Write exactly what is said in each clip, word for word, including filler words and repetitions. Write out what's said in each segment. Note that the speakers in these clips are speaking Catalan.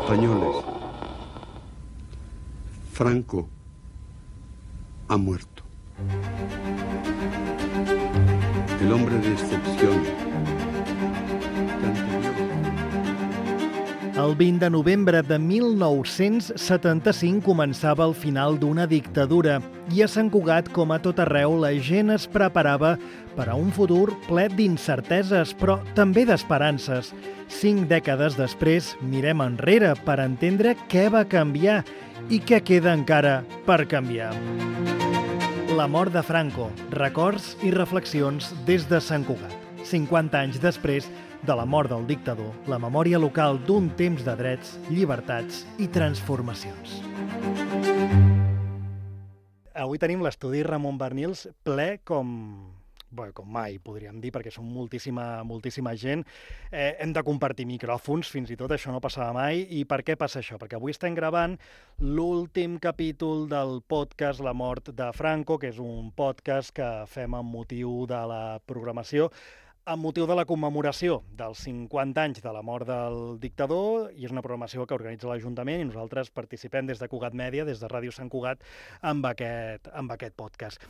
Españoles, Franco ha muerto. El hombre de excepción. El vint de novembre de mil nou-cents setanta-cinc començava el final d'una dictadura i a Sant Cugat, com a tot arreu, la gent es preparava per a un futur ple d'incerteses, però també d'esperances. Cinc dècades després, mirem enrere per entendre què va canviar i què queda encara per canviar. La mort de Franco, records i reflexions des de Sant Cugat. cinquanta anys després de la mort del dictador, la memòria local d'un temps de drets, llibertats i transformacions. Avui tenim l'estudi Ramon Barnils ple com... Bé, com mai, podríem dir, perquè som moltíssima, moltíssima gent. Eh, hem de compartir micròfons, fins i tot això no passava mai. I per què passa això? Perquè avui estem gravant l'últim capítol del podcast La mort de Franco, que és un podcast que fem amb motiu de la programació, amb motiu de la commemoració dels cinquanta anys de la mort del dictador, i és una programació que organitza l'Ajuntament i nosaltres participem des de Cugat Mèdia, des de Ràdio Sant Cugat, amb aquest, amb aquest podcast.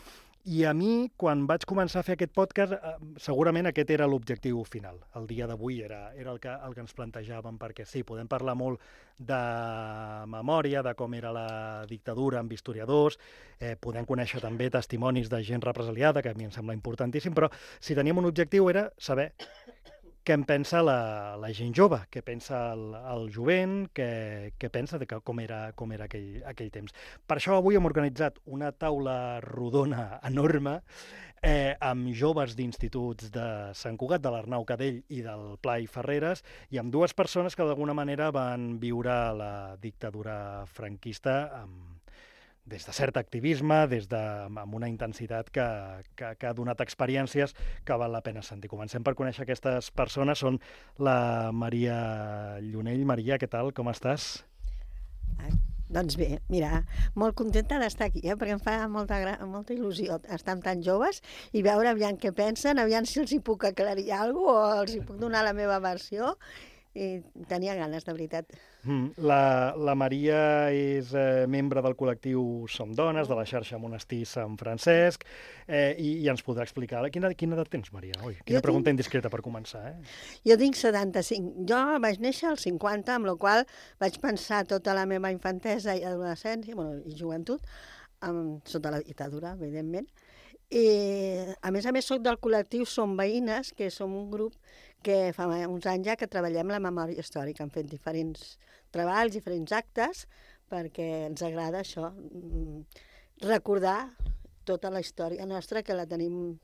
I a mi, quan vaig començar a fer aquest podcast, segurament aquest era l'objectiu final. El dia d'avui era, era el, que, el que ens plantejàvem, perquè sí, podem parlar molt de memòria, de com era la dictadura amb historiadors, eh, podem conèixer també testimonis de gent represaliada, que a mi em sembla importantíssim, però si teníem un objectiu era saber què en pensa la, la gent jove, què pensa el, el jovent, què, què pensa de que, com era, com era aquell, aquell temps. Per això avui hem organitzat una taula rodona enorme eh, amb joves d'instituts de Sant Cugat, de l'Arnau Cadell i del Blai Ferreres, i amb dues persones que d'alguna manera van viure la dictadura franquista amb des de cert activisme, des de, amb una intensitat que, que, que ha donat experiències que val la pena sentir. Comencem per conèixer aquestes persones. Són la Maria Llunell. Maria, què tal? Com estàs? Ah, doncs bé, mira, molt contenta d'estar aquí, eh? Perquè em fa molta, molta il·lusió estar amb tan joves i veure aviam què pensen, aviam si els hi puc aclarir alguna cosa o els hi puc donar la meva versió. I tenia ganes, de veritat. Mm, la, la Maria és eh, membre del col·lectiu Som Dones, de la xarxa Monestir Sant Francesc, eh, i, i ens podrà explicar. Quina, quina edat tens, Maria? Ui, quina jo pregunta tinc... indiscreta per començar, eh? Jo tinc setanta-cinc. Jo vaig néixer als cinquanta, amb la qual vaig pensar tota la meva infantesa i adolescència, bueno, i joventut, amb, sota la dictadura, evidentment. I, a més a més, soc del col·lectiu Som Veïnes, que som un grup que fa uns anys ja que treballem la memòria històrica. Hem fet diferents treballs, diferents actes, perquè ens agrada això, recordar tota la història nostra, que la tenim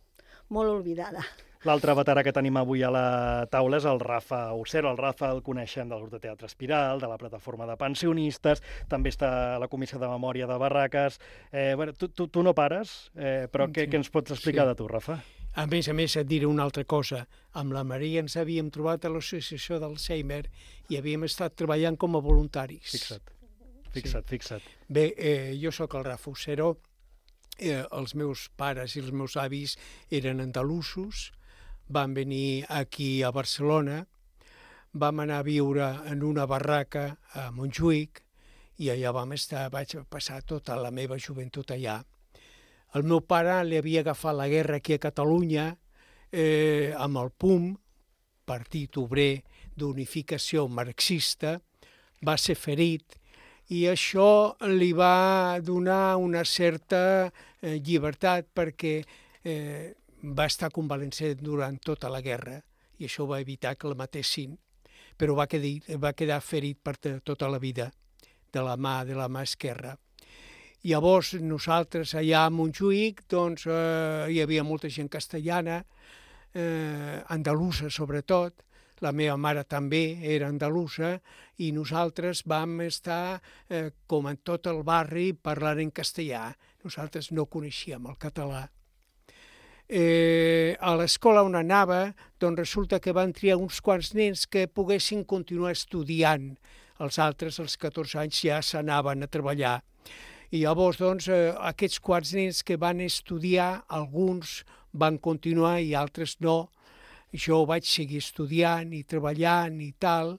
molt oblidada. L'altre veterà que tenim avui a la taula és el Rafa Ocero. El Rafa el coneixem del grup de teatre Espiral, de la plataforma de pensionistes, també està a la Comissió de Memòria de Barraques. Eh, bueno, tu, tu, tu no pares, eh, però sí. què, què ens pots explicar sí. de tu, Rafa? A més a més, et diré una altra cosa. Amb la Maria ens havíem trobat a l'associació d'Alzheimer i havíem estat treballant com a voluntaris. Fixa't, fixa't, sí. fixa't. Bé, eh, jo sóc el Rafa Ocero. Eh, els meus pares i els meus avis eren andalusos, van venir aquí a Barcelona, vam anar a viure en una barraca a Montjuïc i allà vam estar, vaig passar tota la meva joventut allà. El meu pare li havia agafat la guerra aquí a Catalunya eh, amb el P U M, Partit Obrer d'Unificació Marxista, va ser ferit i això li va donar una certa eh, llibertat perquè eh, va estar convalescent durant tota la guerra i això va evitar que la matessin, però va quedar, va quedar ferit per tota la vida de la mà, de la mà esquerra. Llavors, nosaltres allà a Montjuïc, doncs, eh, hi havia molta gent castellana, eh, andalusa sobretot, la meva mare també era andalusa, i nosaltres vam estar, eh, com en tot el barri, parlant en castellà. Nosaltres no coneixíem el català. Eh, a l'escola on anava, doncs resulta que van triar uns quants nens que poguessin continuar estudiant. Els altres, als catorze anys, ja s'anaven a treballar. I llavors, doncs, eh, aquests quants nens que van estudiar, alguns van continuar i altres no. Jo vaig seguir estudiant i treballant i tal,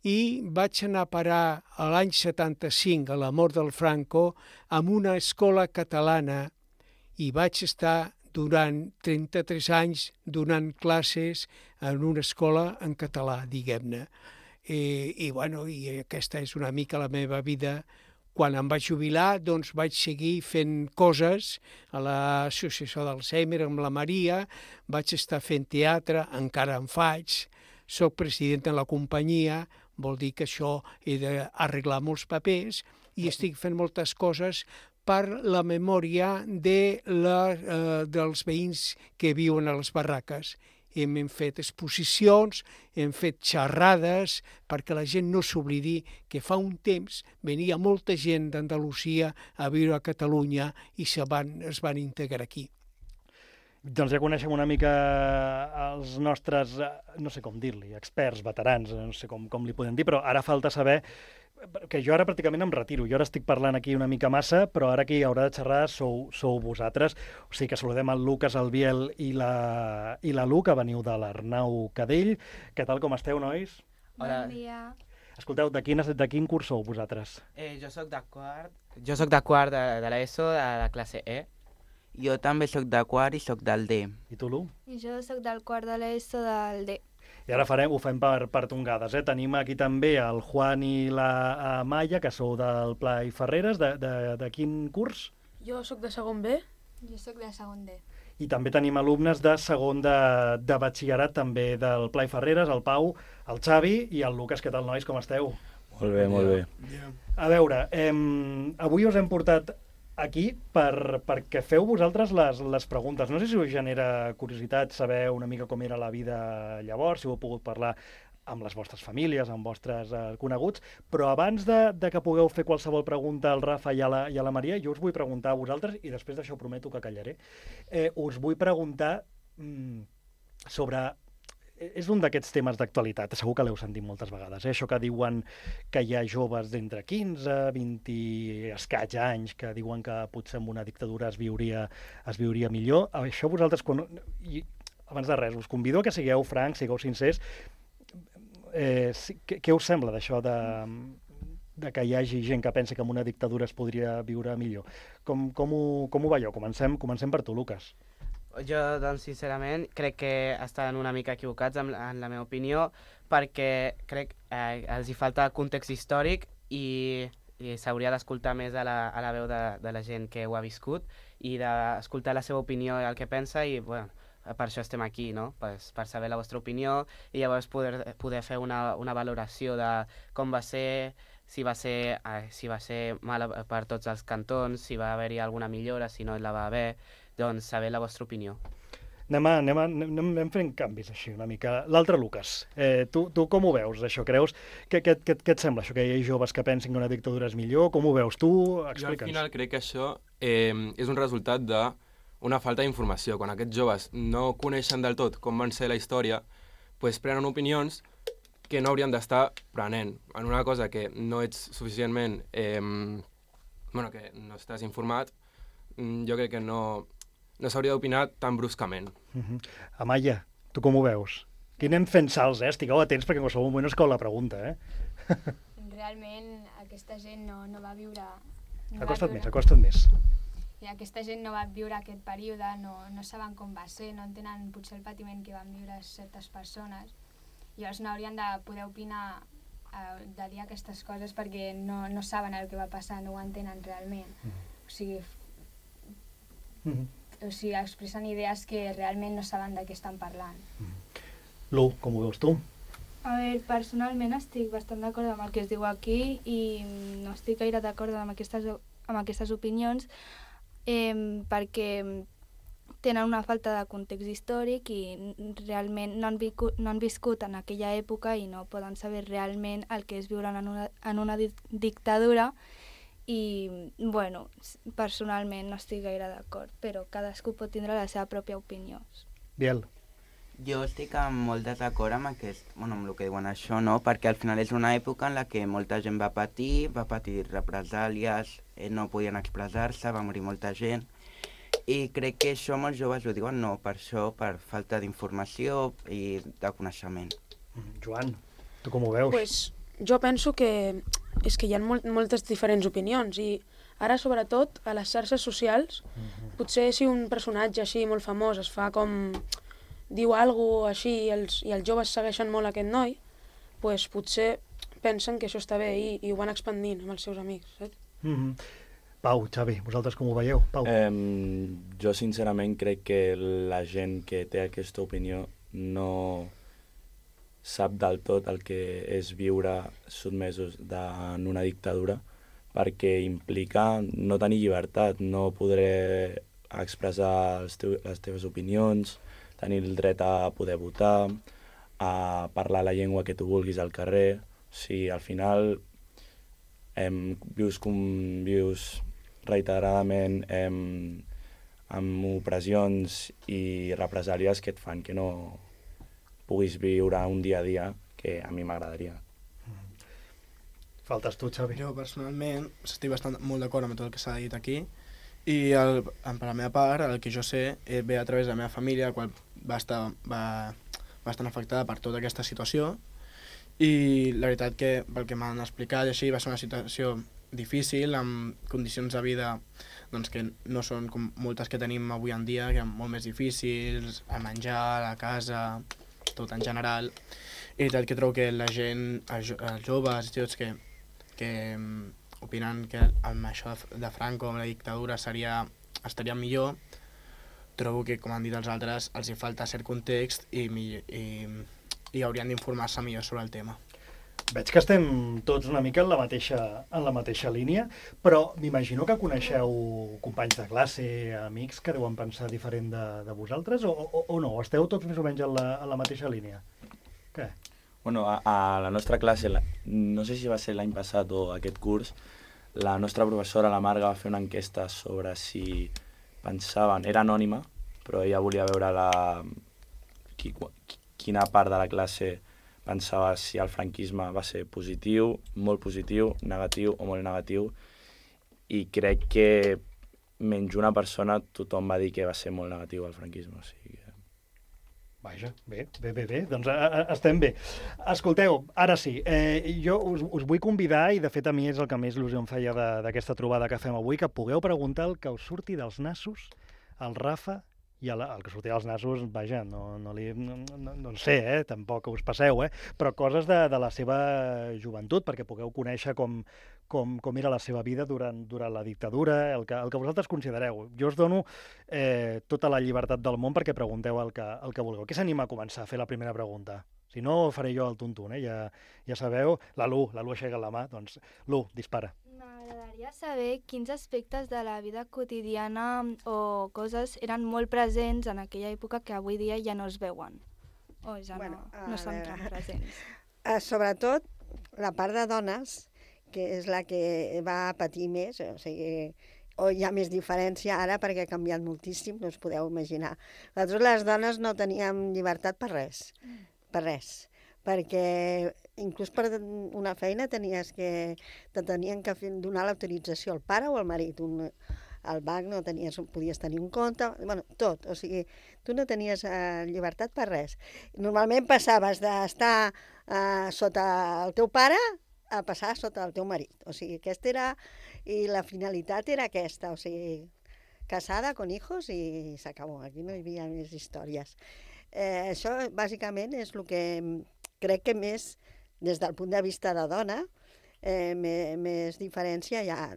i vaig anar a parar a l'any setanta-cinc, a la mort del Franco, en una escola catalana i vaig estar durant trenta-tres anys donant classes en una escola en català, diguem-ne. I, i, bueno, i aquesta és una mica la meva vida. Quan em vaig jubilar, doncs vaig seguir fent coses a l'Associació d'Alzheimer amb la Maria, vaig estar fent teatre, encara en faig, soc president de la companyia, vol dir que això he d'arreglar molts papers i estic fent moltes coses per la memòria de la, eh, dels veïns que viuen a les barraques. Hem, hem fet exposicions, hem fet xerrades perquè la gent no s'oblidi que fa un temps venia molta gent d'Andalusia a viure a Catalunya i se van, es van integrar aquí. Doncs ja coneixem una mica els nostres, no sé com dir-li, experts, veterans, no sé com, com li podem dir, però ara falta saber que jo ara pràcticament em retiro. Jo ara estic parlant aquí una mica massa, però ara qui haurà de xerrar sou, sou vosaltres. O sigui que saludem el Lucas, el Biel i la, i la Lu, que veniu de l'Arnau Cadell. Què tal, com esteu, nois? Hola. Bon dia. Escolteu, de quin, de quin curs sou vosaltres? Eh, jo soc de quart, jo soc de quart de, de l'ESO, de la classe E. Jo també soc de quart i soc del D. I tu, Lu? I jo soc del quart de l'ESO del D. I ara farem, ho fem per, per tongades. Eh? Tenim aquí també el Juan i la Amaya, que sou del Pla i Ferreres. De, de, de quin curs? Jo sóc de segon B. Jo sóc de segon D. I també tenim alumnes de segon de, de batxillerat, també del Pla i Ferreres, el Pau, el Xavi i el Lucas. Què tal, nois? Com esteu? Molt bé, molt bé. A veure, eh, avui us hem portat aquí per, perquè feu vosaltres les, les preguntes. No sé si us genera curiositat saber una mica com era la vida llavors, si heu pogut parlar amb les vostres famílies, amb vostres eh, coneguts, però abans de, de que pugueu fer qualsevol pregunta al Rafa i a la, i a la Maria, jo us vull preguntar a vosaltres, i després d'això prometo que callaré, eh, us vull preguntar mm, sobre... És un d'aquests temes d'actualitat, segur que l'heu sentit moltes vegades, eh? Això que diuen que hi ha joves d'entre quinze, vint i escaig anys que diuen que potser amb una dictadura es viuria, es viuria millor. Això vosaltres, quan... I, abans de res, us convido a que sigueu francs, sigueu sincers. Eh, què, què us sembla d'això de, de que hi hagi gent que pensa que amb una dictadura es podria viure millor? Com, com, ho, com ho veieu? Comencem, comencem per tu, Lucas. Jo, doncs, sincerament, crec que estan una mica equivocats en, en la meva opinió, perquè crec que eh, els hi falta context històric i, i s'hauria d'escoltar més a la, a la veu de, de la gent que ho ha viscut i d'escoltar la seva opinió i el que pensa i, bueno, per això estem aquí, no? Per, per saber la vostra opinió i llavors poder, poder fer una, una valoració de com va ser, si va ser, eh, si va ser mal per tots els cantons, si va haver-hi alguna millora, si no la va haver, doncs saber la vostra opinió. Anem, a, anem, a, anem, anem fent canvis així una mica. L'altre, Lucas, eh, tu, tu com ho veus, això? Creus que, que, que, que et sembla això, que hi ha joves que pensin que una dictadura és millor? Com ho veus? Tu, explica'ns. Jo al final crec que això eh, és un resultat d'una falta d'informació. Quan aquests joves no coneixen del tot com van ser la història, pues prenen opinions que no haurien d'estar prenent en una cosa que no ets suficientment... Eh, bueno, que no estàs informat, jo crec que no... no s'hauria d'opinar tan bruscament. Uh-huh. Amaya, tu com ho veus? Aquí anem fent salts, eh? Estigueu atents perquè en qualsevol moment us cau la pregunta, eh? Realment aquesta gent no, no va viure... No acosta't va viure... més, acosta't més. I aquesta gent no va viure aquest període, no, no saben com va ser, no entenen potser el patiment que van viure certes persones. Llavors no haurien de poder opinar eh, de dir aquestes coses perquè no, no saben el que va passar, no ho entenen realment. Mm. O sigui... Mm-hmm. O sigui, expressen idees que realment no saben de què estan parlant. Mm. Lu, com ho veus tu? A veure, personalment estic bastant d'acord amb el que es diu aquí i no estic gaire d'acord amb aquestes, amb aquestes opinions eh, perquè tenen una falta de context històric i realment no han, viscut, no han viscut en aquella època i no poden saber realment el que és viure en una, en una dictadura. I, bueno, personalment no estic gaire d'acord, però cadascú pot tindre la seva pròpia opinió. Biel. Jo estic molt desacord amb, aquest, bueno, amb el que diuen això, no? Perquè al final és una època en la que molta gent va patir, va patir represàlies, eh, no podien expressar-se, va morir molta gent, i crec que això molts joves ho diuen no, per això, per falta d'informació i de coneixement. Joan, tu com ho veus? Pues jo penso que és que hi ha molt, moltes diferents opinions i ara, sobretot, a les xarxes socials, mm-hmm. potser si un personatge així molt famós es fa com... diu alguna cosa així i els, i els joves segueixen molt aquest noi, pues potser pensen que això està bé i, i ho van expandint amb els seus amics, saps? Mm-hmm. Pau, Xavi, vosaltres com ho veieu? Pau. Eh, jo sincerament crec que la gent que té aquesta opinió no sap del tot el que és viure sotmesos en una dictadura, perquè implica no tenir llibertat, no poder expressar els teus, les teves opinions, tenir el dret a poder votar, a parlar la llengua que tu vulguis al carrer. O sigui, al final em, vius, com, vius reiteradament em, amb opressions i represàlies que et fan que no puguis viure un dia a dia que a mi m'agradaria. Faltes tu, Xavi. Jo, personalment, estic bastant molt d'acord amb tot el que s'ha dit aquí i el, per la meva part, el que jo sé eh, ve a través de la meva família, la qual va estar va, bastant afectada per tota aquesta situació i la veritat que pel que m'han explicat així va ser una situació difícil, amb condicions de vida doncs, que no són com moltes que tenim avui en dia, que són molt més difícils, a menjar, a la casa, tot en general. I la veritat que trobo que la gent, els, els joves i tots que, que opinen que amb això de Franco, amb la dictadura, seria, estaria millor, trobo que, com han dit els altres, els hi falta cert context i, i, i haurien d'informar-se millor sobre el tema. Veig que estem tots una mica en la mateixa, en la mateixa línia, però m'imagino que coneixeu companys de classe, amics, que deuen pensar diferent de, de vosaltres, o, o, o no? Esteu tots més o menys en la, en la mateixa línia? Què? Bueno, a, a la nostra classe, la, no sé si va ser l'any passat o aquest curs, la nostra professora, la Marga, va fer una enquesta sobre si pensaven... Era anònima, però ella volia veure la, qui, quina part de la classe pensava si el franquisme va ser positiu, molt positiu, negatiu o molt negatiu, i crec que menys una persona tothom va dir que va ser molt negatiu el franquisme. O sigui que... Vaja, bé, bé, bé, bé, doncs a, a, estem bé. Escolteu, ara sí, eh, jo us, us vull convidar, i de fet a mi és el que més il·lusió em feia d'aquesta trobada que fem avui, que pugueu preguntar el que us surti dels nassos al Rafa i el, el que surti dels nassos, vaja, no, no, li, no, no, no en sé, eh, tampoc us passeu, eh, però coses de, de la seva joventut, perquè pugueu conèixer com, com, com era la seva vida durant, durant la dictadura, el que, el que vosaltres considereu. Jo us dono eh, tota la llibertat del món perquè pregunteu el que, el que vulgueu. Qui s'anima a començar a fer la primera pregunta? Si no, faré jo el tuntun, eh? ja, ja sabeu. La Lu, la Lu aixeca la mà, doncs Lu, dispara. M'agradaria saber quins aspectes de la vida quotidiana o coses eren molt presents en aquella època que avui dia ja no es veuen, o ja bueno, no, no són tan presents. Uh, sobretot la part de dones, que és la que va patir més, o sigui, o hi ha més diferència ara perquè ha canviat moltíssim, no us podeu imaginar. Nosaltres les dones no teníem llibertat per res, per res, perquè inclús per una feina tenies que, te tenien que donar l'autorització al pare o al marit. Un, al banc no tenies, podies tenir un compte, bueno, tot. O sigui, tu no tenies eh, llibertat per res. Normalment passaves d'estar eh, sota el teu pare a passar sota el teu marit. O sigui, aquesta era... I la finalitat era aquesta, o sigui, casada, con hijos i s'acabó. Aquí no hi havia més històries. Eh, això, bàsicament, és el que crec que més, des del punt de vista de dona, eh, més, més diferència hi ha,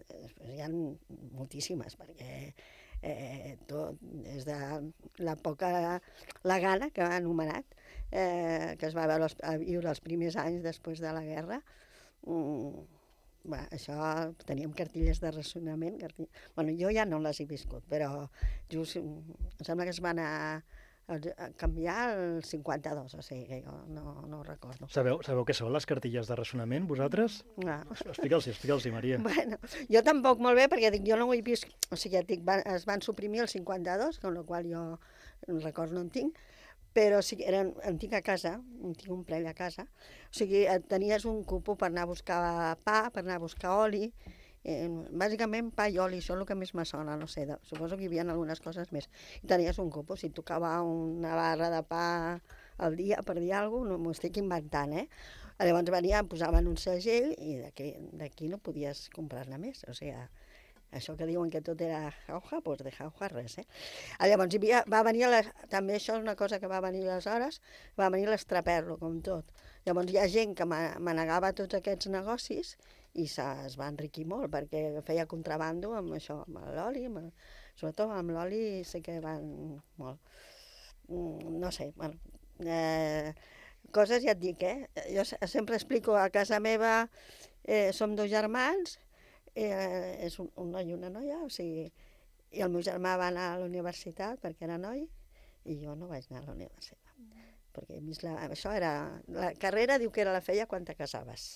hi ha moltíssimes, perquè eh, tot, des de l'època la Gana, que ha anomenat, eh, que es va veure els, a viure els primers anys després de la guerra, mm, va, això, teníem cartilles de racionament, cartilles... Bueno, jo ja no les he viscut, però just, em sembla que es van a, a canviar el cinquanta-dos, o sigui que jo no, no ho recordo. Sabeu, sabeu què són les cartilles de racionament, vosaltres? No. Explica'ls-hi, explica'ls-hi, Maria. Bueno, jo tampoc molt bé, perquè dic, jo no ho he vist, o sigui, dic, van, es van suprimir el cinquanta-dos, amb la qual jo el record no en tinc, però sí que era, en tinc a casa, en tinc un plell a casa, o sigui, tenies un cupo per anar a buscar pa, per anar a buscar oli, eh, bàsicament pa i oli, això és el que més me sona, no sé, de, suposo que hi havia algunes coses més. I tenies un cupo, si tocava una barra de pa al dia, per dir alguna cosa, no m'ho estic inventant, eh? Llavors venien, posaven un segell i d'aquí no podies comprar-ne més. O sigui, això que diuen que tot era jauja, doncs de jauja res, eh? Llavors hi havia, va venir, la, també això és una cosa que va venir aleshores, va venir l'estraperlo, com tot. Llavors hi ha gent que manegava tots aquests negocis i es va enriquir molt, perquè feia contrabando amb això, amb l'oli, sobretot amb l'oli sé que van molt. No sé, bueno, eh, coses ja et dic, eh? Jo sempre explico, a casa meva eh, som dos germans, eh, és un, un noi i una noia, o sigui, i el meu germà va anar a la universitat perquè era noi, i jo no vaig anar a la universitat. Mm. Perquè he vist la, això era, la carrera diu que era la feia quan te casaves.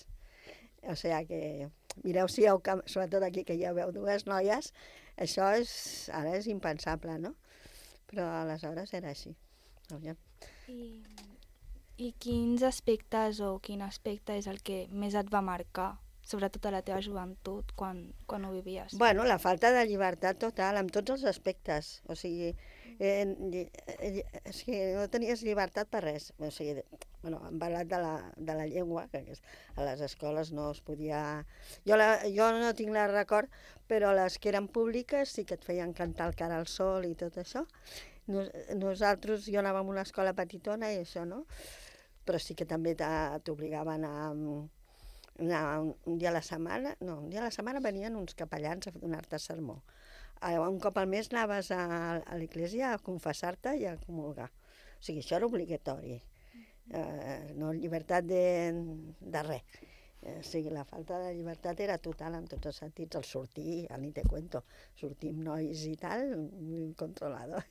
O sigui que, mireu si heu, sobretot aquí que ja veu dues noies, això és, ara és impensable, no? Però aleshores era així. I, I quins aspectes o quin aspecte és el que més et va marcar, sobretot a la teva joventut, quan, quan ho vivies? Bueno, la falta de llibertat total, amb tots els aspectes. O sigui, eh, eh, és que no tenies llibertat per res. O sigui, bueno, hem parlat de la, de la llengua, que a les escoles no es podia... Jo, la, jo no tinc el record, però les que eren públiques sí que et feien cantar el cara al sol i tot això. Nos, nosaltres, jo anava a una escola petitona i això no, però sí que també t'obligaven a... anar un, un dia a la setmana, no, un dia a la setmana venien uns capellans a donar-te sermó. Un cop al mes anaves a, a l'església a confessar-te i a comulgar. O sigui, això era obligatori. Eh, no llibertat de, de res. Eh, o sigui, la falta de llibertat era total en tots els sentits. El sortir, ja ni te cuento, sortir amb nois i tal, incontrolado.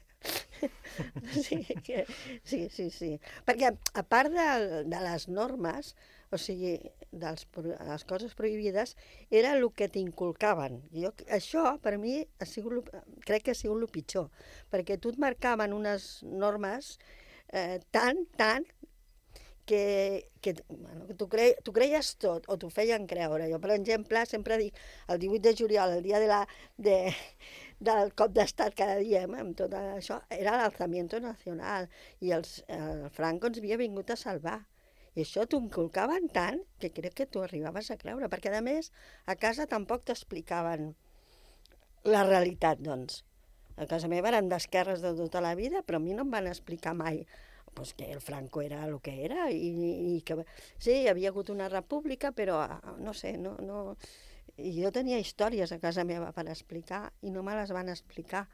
Sí, que, sí, sí, sí. Perquè a part de, de les normes, o sigui, de les coses prohibides, era el que t'inculcaven. Jo, això, per mi, ha sigut, crec que ha sigut el pitjor, perquè tu et marcaven unes normes eh, tan, tan, que, que bueno, tu, cre, tu creies tot, o t'ho feien creure. Jo, per exemple, sempre dic, el divuit de juliol, el dia de la, de, del cop d'estat que diem, amb tot això, era l'alzamiento nacional, i els, el Franco ens havia vingut a salvar. I això t'ho inculcaven tant que crec que t'ho arribaves a creure, perquè a més a casa tampoc t'explicaven la realitat, doncs. A casa meva eren d'esquerres de tota la vida, però a mi no em van explicar mai pues, que el Franco era el que era, i, i que sí, hi havia hagut una república, però no sé, no, no... I jo tenia històries a casa meva per explicar i no me les van explicar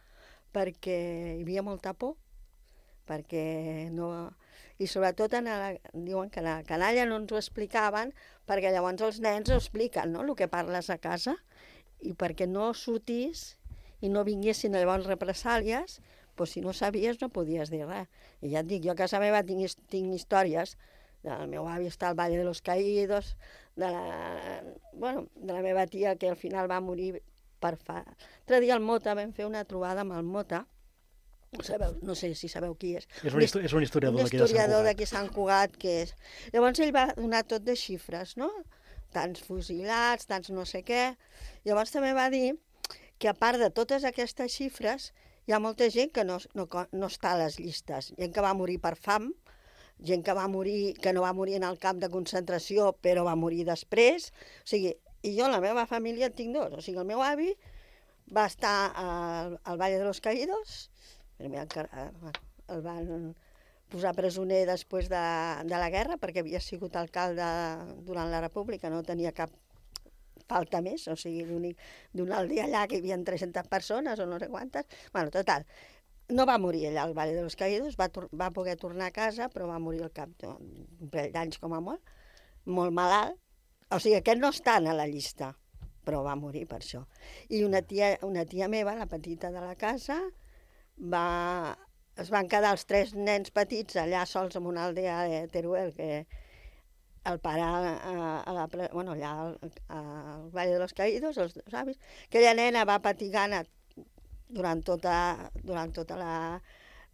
perquè hi havia molta por, perquè no... I sobretot en la... diuen que a la canalla no ens ho explicaven perquè llavors els nens ho expliquen, no?, el que parles a casa, i perquè no sortís i no vinguessin llavors represàlies, doncs si no sabies no podies dir res. I ja et dic, jo a casa meva tinc, tinc històries del meu avi està al Valle de los Caídos, de la, bueno, de la meva tia que al final va morir per fa... L'altre dia al Mota vam fer una trobada amb el Mota, no, sabeu, no sé si sabeu qui és. És un, és un historiador, un historiador d'aquí Sant Cugat. Que és. Llavors ell va donar tot de xifres, no? Tants fusilats, tants no sé què. Llavors també va dir que a part de totes aquestes xifres hi ha molta gent que no, no, no està a les llistes. Gent que va morir per fam, gent que va morir, que no va morir en el camp de concentració però va morir després. O sigui, i jo en la meva família en tinc dos. O sigui, el meu avi va estar al, al Valle de los Caídos, primer el van posar presoner després de, de la guerra perquè havia sigut alcalde durant la República, no tenia cap falta més, o sigui, d'una aldea allà que hi havia tres-centes persones o no sé quantes. Bueno, total, no va morir allà al Valle de los Caídos, va, va poder tornar a casa, però va morir al cap d'un parell d'anys com a molt, molt malalt. O sigui, aquest no està a la llista, però va morir per això. I una tia, una tia meva, la petita de la casa, va, es van quedar els tres nens petits allà sols en una aldea de Teruel, que el pare a, a la, bueno, allà al, al Valle de los Caídos, els dos avis, aquella nena va patir gana durant tota, durant tota la...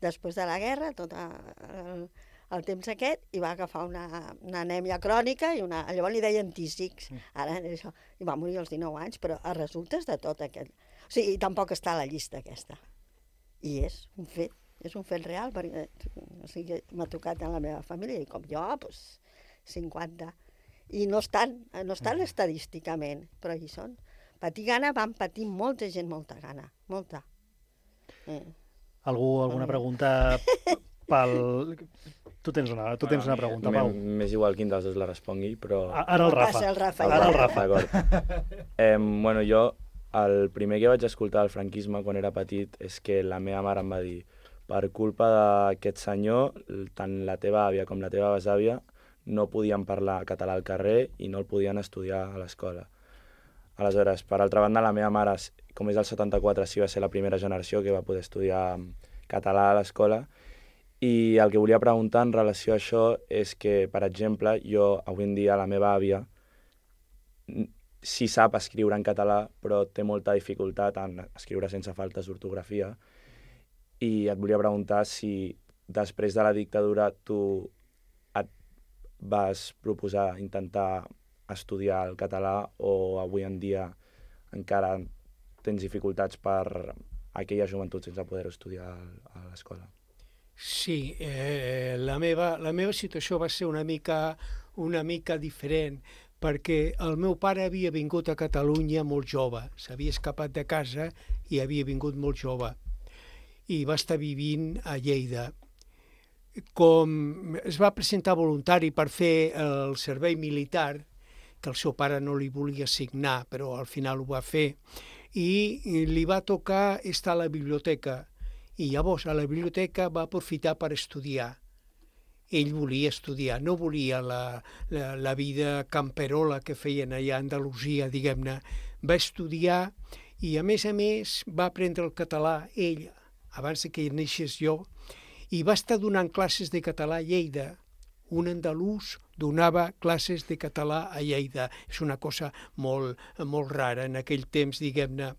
després de la guerra, tot el, el temps aquest, i va agafar una, una anèmia crònica, i una, llavors li deien tísics, ara això, i va morir als dinou anys, però a resultes de tot aquest... O sigui, tampoc està a la llista aquesta. I és un fet, és un fet real, perquè o sigui, m'ha tocat en la meva família, i com jo, doncs, cinquanta, i no estan, no estan estadísticament, però hi són. Patir gana, van patir molta gent, molta gana, molta. Eh. Algú, alguna pregunta pel... Tu tens una, tu tens una pregunta, Pau. M'és igual quin dels dos la respongui, però... Ara el Rafa. el Rafa. Ara el Rafa. D'acord. Eh, bueno, jo, el primer que vaig escoltar del franquisme quan era petit és que la meva mare em va dir per culpa d'aquest senyor, tant la teva àvia com la teva besàvia no podien parlar català al carrer i no el podien estudiar a l'escola. Aleshores, per altra banda, la meva mare, com és del setanta-quatre, sí va ser la primera generació que va poder estudiar català a l'escola. I el que volia preguntar en relació a això és que, per exemple, jo avui en dia la meva àvia sí sap escriure en català, però té molta dificultat en escriure sense faltes d'ortografia. I et volia preguntar si després de la dictadura tu et vas proposar intentar estudiar el català o avui en dia encara tens dificultats per aquella joventut sense poder estudiar a l'escola. Sí, eh, la, meva, la meva situació va ser una mica, una mica diferent, perquè el meu pare havia vingut a Catalunya molt jove, s'havia escapat de casa i havia vingut molt jove, i va estar vivint a Lleida. Com es va presentar voluntari per fer el servei militar, que el seu pare no li volia assignar, però al final ho va fer, i li va tocar estar a la biblioteca, i llavors a la biblioteca va aprofitar per estudiar. Ell volia estudiar, no volia la, la, la vida camperola que feien allà a Andalusia, diguem-ne. Va estudiar i, a més a més, va aprendre el català ell, abans que neixés jo, i va estar donant classes de català a Lleida. Un andalús donava classes de català a Lleida. És una cosa molt, molt rara en aquell temps, diguem-ne.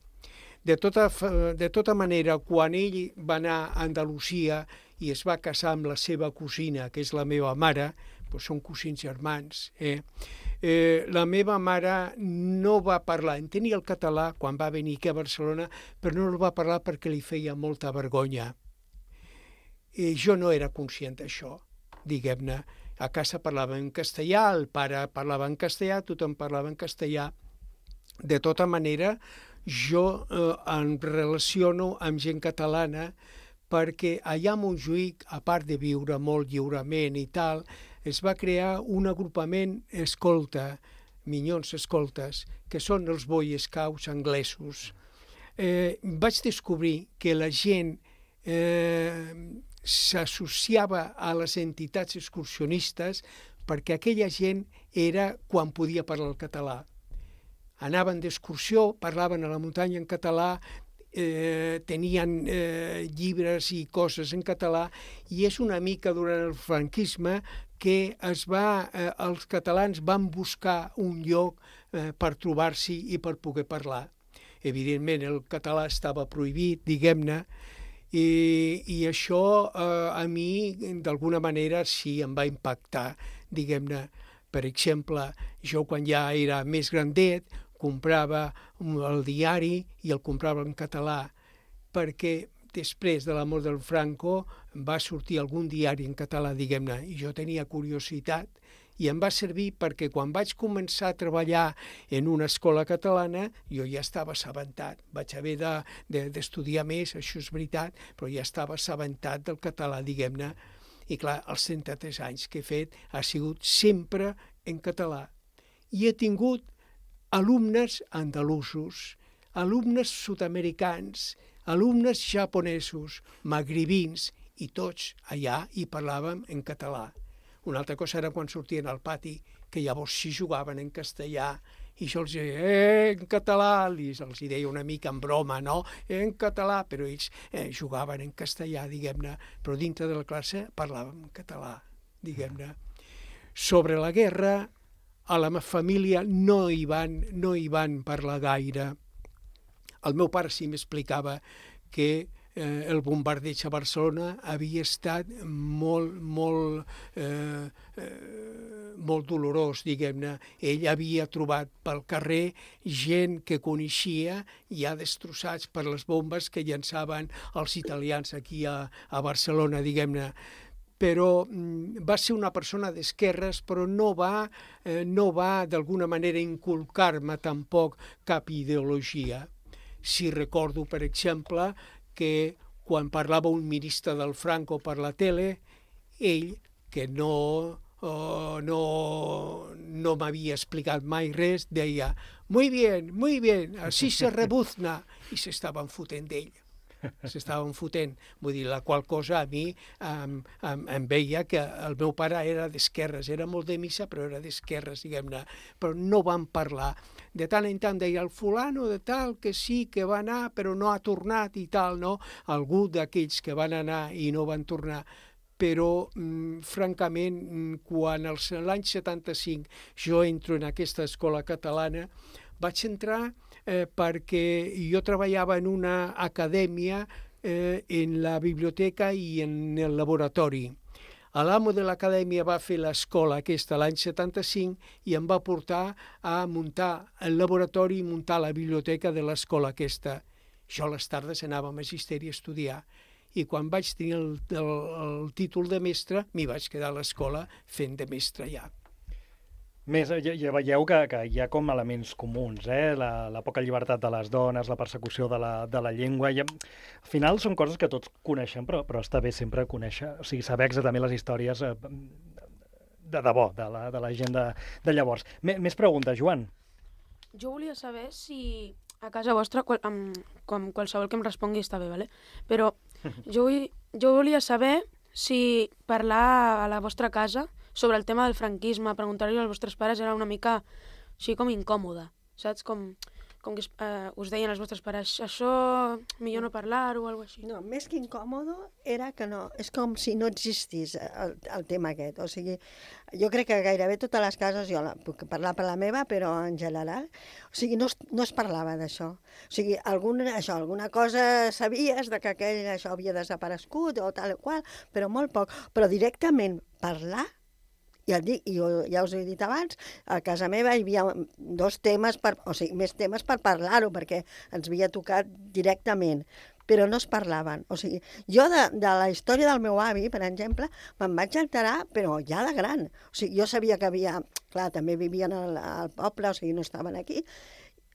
De tota, de tota manera, quan ell va anar a Andalusia i es va casar amb la seva cosina, que és la meva mare, doncs són cosins germans, eh? Eh, la meva mare no va parlar, entenia el català quan va venir aquí a Barcelona, però no el va parlar perquè li feia molta vergonya. I jo no era conscient d'això, diguem-ne. A casa parlava en castellà, el pare parlava en castellà, tothom parlava en castellà. De tota manera, jo eh, em relaciono amb gent catalana perquè allà a Montjuïc, a part de viure molt lliurement i tal, es va crear un agrupament escolta, Minyons Escoltes, que són els Boy Scouts anglesos. Eh, vaig descobrir que la gent eh, s'associava a les entitats excursionistes perquè aquella gent era quan podia parlar el català. Anaven d'excursió, parlaven a la muntanya en català, eh, tenien eh, llibres i coses en català, i és una mica durant el franquisme que es va, eh, els catalans van buscar un lloc eh, per trobar-s'hi i per poder parlar. Evidentment, el català estava prohibit, diguem-ne, i, i això eh, a mi, d'alguna manera, sí em va impactar, diguem-ne. Per exemple, jo quan ja era més grandet, comprava el diari i el comprava en català, perquè després de la mort del Franco va sortir algun diari en català, diguem-ne, i jo tenia curiositat, i em va servir perquè quan vaig començar a treballar en una escola catalana jo ja estava assabentat. Vaig haver de, de, d'estudiar més, això és veritat, però ja estava assabentat del català, diguem-ne. I clar, els trenta-tres anys que he fet ha sigut sempre en català. I he tingut alumnes andalusos, alumnes sud-americans, alumnes japonesos, magribins, i tots allà hi parlàvem en català. Una altra cosa era quan sortien al pati, que llavors sí jugaven en castellà, i jo els deia, eh, en català, i els deia una mica en broma, no? Eh, en català, però ells eh, jugaven en castellà, diguem-ne, però dintre de la classe parlàvem en català, diguem-ne. Sobre la guerra, a la meva família no hi van, no hi van parlar gaire. El meu pare sí m'explicava que eh, el bombardeig a Barcelona havia estat molt, molt, eh, eh, molt dolorós, diguem-ne. Ell havia trobat pel carrer gent que coneixia ja destrossats per les bombes que llançaven els italians aquí a, a Barcelona, diguem-ne. però va ser una persona d'esquerres, però no va, eh, no va d'alguna manera inculcar-me tampoc cap ideologia. Si recordo, per exemple, que quan parlava un ministre del Franco per la tele, ell, que no, uh, no, no m'havia explicat mai res, deia «Muy bien, muy bien, así se rebuzna», i s'estaven fotent d'ell. S'estaven fotent. Vull dir, la qual cosa a mi em, em, em veia que el meu pare era d'esquerres, era molt de missa, però era d'esquerres, diguem-ne. Però no vam parlar. De tant en tant deia el fulano de tal, que sí, que va anar, però no ha tornat i tal, no? Algú d'aquells que van anar i no van tornar. Però, mm, francament, quan l'any setanta-cinc jo entro en aquesta escola catalana, vaig entrar eh, perquè jo treballava en una acadèmia eh, en la biblioteca i en el laboratori. L'amo de l'acadèmia va fer l'escola aquesta l'any setanta-cinc i em va portar a muntar el laboratori i muntar la biblioteca de l'escola aquesta. Jo a les tardes anava a magisteri a estudiar i quan vaig tenir el, el, el títol de mestre m'hi vaig quedar a l'escola fent de mestre ja. Més, ja, ja veieu que, que hi ha com elements comuns, eh? la, la poca llibertat de les dones, la persecució de la, de la llengua... I, al final són coses que tots coneixem, però, però està bé sempre conèixer, o sigui, saber exactament les històries eh, de debò, de la, de la gent de, de llavors. M més preguntes, Joan? Jo volia saber si a casa vostra, qual, amb, com qualsevol que em respongui està bé, ¿vale? Però jo, vull, jo volia saber si parlar a la vostra casa sobre el tema del franquisme, preguntar-li als vostres pares era una mica així com incòmode, saps? Com, com que eh, us deien els vostres pares, això millor no parlar-ho o alguna cosa així. No, més que incòmode era que no, és com si no existís el, el tema aquest. O sigui, jo crec que gairebé totes les cases, jo la, puc parlar per la meva, però en general, o sigui, no es, no es parlava d'això. O sigui, algun, això, alguna cosa sabies de que aquell això havia desaparegut o tal o qual, però molt poc. Però directament parlar, ja, dic, jo, ja us he dit abans, a casa meva hi havia dos temes, per, o sigui, més temes per parlar-ho, perquè ens havia tocat directament, però no es parlaven. O sigui, jo de, de la història del meu avi, per exemple, me'n vaig enterar, però ja de gran. O sigui, jo sabia que havia... Clar, també vivien al, al poble, o sigui, no estaven aquí,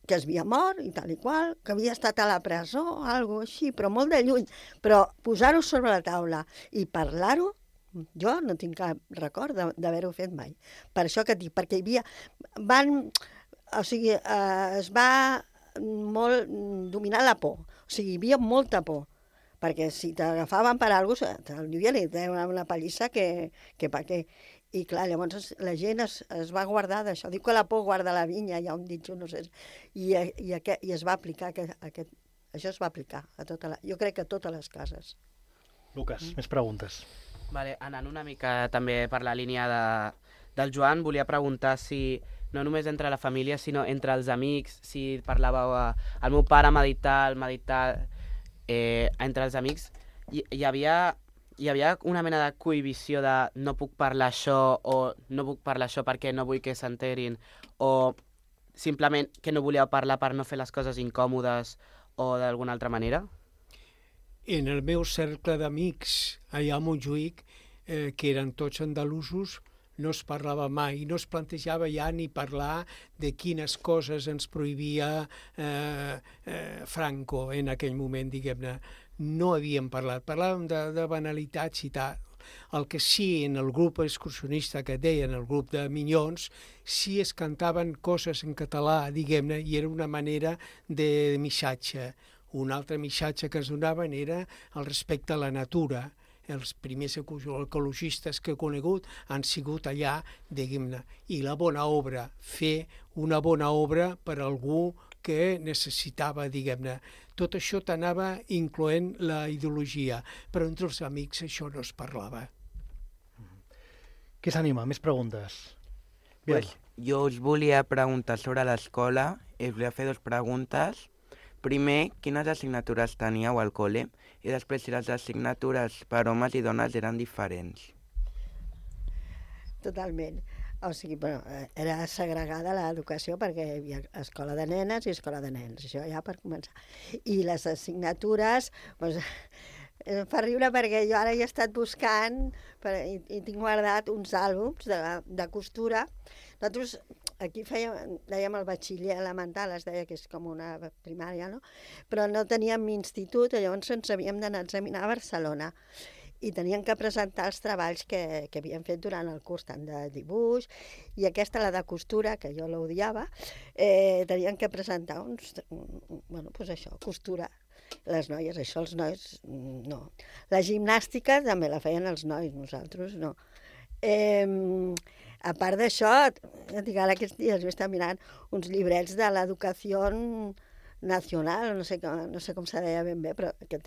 que es havia mort i tal i qual, que havia estat a la presó, o alguna cosa així, però molt de lluny. Però posar-ho sobre la taula i parlar-ho, jo no tinc cap record d'haver-ho fet mai. Per això que dic, perquè hi havia... Van... O sigui, eh, es va molt dominar la por. O sigui, hi havia molta por. Perquè si t'agafaven per alguna cosa, te'l diuen i una, una pallissa que, que pa què. I clar, llavors la gent es, es va guardar d'això. Diu que la por guarda la vinya, hi ha un ditxo, no sé. I, i, aquest, i es va aplicar aquest, aquest... Això es va aplicar a tota la... Jo crec que a totes les cases. Lucas, Mm. més preguntes. Vale, anant una mica també per la línia de, del Joan, volia preguntar si no només entre la família, sinó entre els amics, si parlàveu... Eh, el meu pare m'ha dit tal, m'ha dit tal... Eh, entre els amics hi, hi, havia, hi havia una mena de cohibició de no puc parlar això o no puc parlar això perquè no vull que s'enterin o simplement que no volíeu parlar per no fer les coses incòmodes o d'alguna altra manera? En el meu cercle d'amics allà a Montjuïc, eh, que eren tots andalusos, no es parlava mai, no es plantejava ja ni parlar de quines coses ens prohibia eh, eh, Franco en aquell moment, diguem-ne. No havíem parlat, parlàvem de, de banalitats i tal. El que sí, en el grup excursionista que deien, el grup de minyons, sí es cantaven coses en català, diguem-ne, i era una manera de missatge. Un altre missatge que es donaven era el respecte a la natura. Els primers ecologistes que he conegut han sigut allà, diguem-ne, i la bona obra, fer una bona obra per algú que necessitava, diguem-ne. Tot això t'anava incloent la ideologia, però entre els amics això no es parlava. Qui s'anima? Més preguntes? Pues, jo us volia preguntar sobre l'escola, us volia fer dues preguntes. Primer, quines assignatures teníeu al col·le? I després, si les assignatures per homes i dones eren diferents. Totalment. O sigui, bueno, era segregada l'educació perquè hi havia escola de nenes i escola de nens, això ja per començar. I les assignatures, doncs, Em fa riure perquè jo ara he estat buscant per, i, i tinc guardat uns àlbums de, de costura. Nosaltres aquí fèiem, dèiem el batxiller elemental, es deia que és com una primària, no? Però no teníem institut, llavors ens havíem d'anar a examinar a Barcelona i tenien que presentar els treballs que, que havien fet durant el curs, tant de dibuix, i aquesta, la de costura, que jo l'odiava, eh, tenien que presentar uns... Bueno, doncs això, costura. Les noies, això els nois, no. La gimnàstica també la feien els nois, nosaltres no. Eh, a part d'això, ara aquests dies he estat mirant uns llibrets de l'educació nacional, no sé, no sé com se deia ben bé, però que